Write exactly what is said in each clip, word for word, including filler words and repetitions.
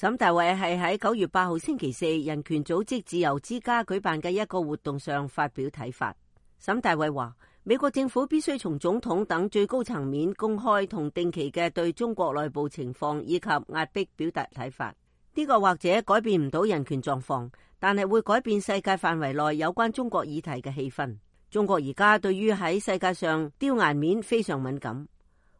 沈大偉係喺九月八號星期四人權組織自由之家舉辦嘅一個活動上發表睇法。沈大偉話，美國政府必須從總統等最高層面公開同定期嘅對中國內部情況以及壓迫表達睇法。呢個或者改變唔到人權狀況，但係會改變世界範圍內有關中國議題嘅氣氛。中國而家對於喺世界上丟顏面非常敏感，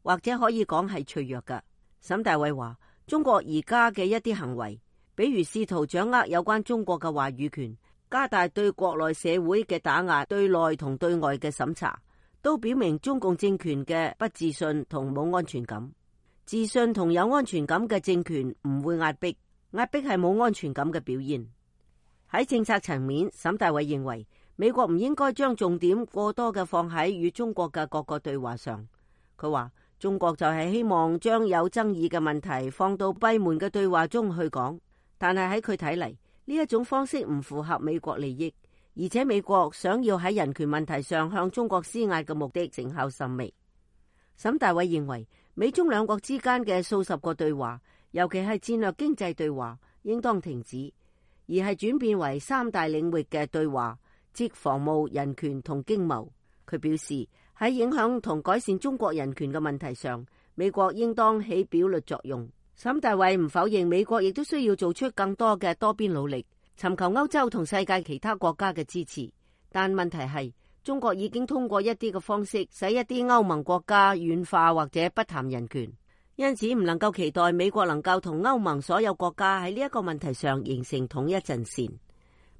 或者可以講係脆弱㗎。沈大偉話，中國而家嘅一啲行為，比如試圖掌握有關中國嘅話語權，加大對國內社會嘅打壓，對內同對外嘅審查，都表明中共政權嘅不自信同冇安全感。自信同有安全感嘅政權唔會壓迫，壓迫係冇安全感嘅表現。喺政策層面，沈大偉認為美國唔應該將重點過多嘅放喺與中國嘅各個對話上。佢話，中國就係希望將有爭議嘅問題放到閉門嘅對話中去講，但係喺佢睇嚟，呢一種方式唔符合美國利益，而且美國想要喺人權問題上向中國施壓嘅目的成效甚微。沈大偉認為，美中兩國之間嘅數十個對話，尤其係戰略經濟對話，應當停止，而係轉變為三大領域嘅對話，即防務、人權同經貿。佢表示，喺影響同改善中國人權嘅問題上，美國應當起表率作用。沈大偉唔否認美國亦都需要做出更多嘅多邊努力，尋求歐洲同世界其他國家嘅支持。但問題係，中國已經通過一啲嘅方式，使一啲歐盟國家軟化或者不談人權，因此唔能夠期待美國能夠同歐盟所有國家喺呢一個問題上形成統一陣線。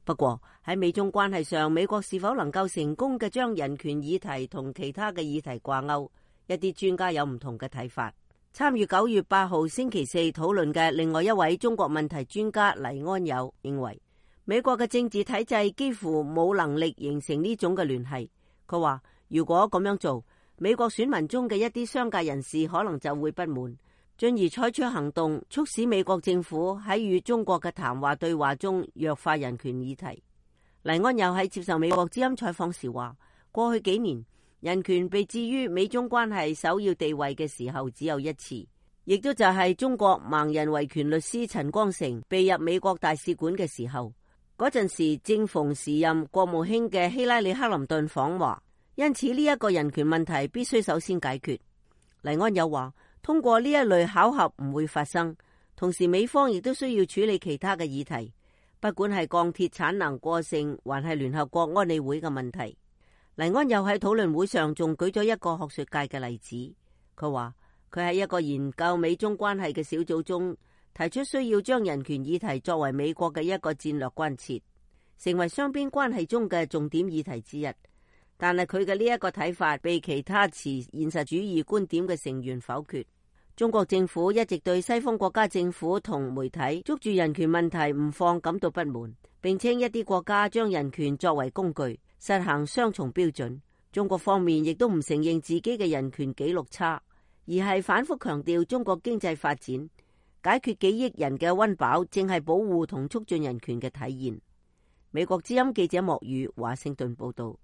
不過喺美中關係上，美國是否能夠成功嘅將人權議題同其他嘅議題掛鈎，一啲專家有唔同嘅睇法。參與九月八號星期四討論嘅另外一位中國問題專家黎安友認為，美國嘅政治體制幾乎冇能力形成呢種嘅聯繫。佢話，如果咁樣做，美國選民中嘅一啲商界人士可能就會不滿，進而採取行動，促使美國政府喺與中國嘅談話對話中弱化人權議題。黎安友喺接受美國之音採訪時話，過去幾年人權被置於美中關係首要地位嘅時候只有一次，亦都就係中國盲人維權律師陳光誠被入美國大使館嘅時候。嗰陣時正逢時任國務卿嘅希拉里克林頓訪華，因此呢一個人權問題必須首先解決。黎安友話，通過呢一類巧合唔會發生，同時美方亦都需要處理其他嘅議題，不管係鋼鐵產能過剩，還係聯合國安理會嘅問題。黎安友喺討論會上仲舉咗一個學術界嘅例子，佢話佢喺一個研究美中關係嘅小組中提出需要將人權議題作為美國嘅一個戰略關切，成為雙邊關係中嘅重點議題之一。但係佢嘅呢一個睇法被其他持現實主義觀點嘅成員否決。中國政府一直對西方國家政府同媒體捉住人權問題唔放感到不滿，並稱一啲國家將人權作為工具，實行雙重標準。中國方面亦都唔承認自己嘅人權紀錄差，而係反覆強調中國經濟發展解決幾億人嘅溫飽正係保護同促進人權嘅體現。美國之音記者莫宇華盛頓報道。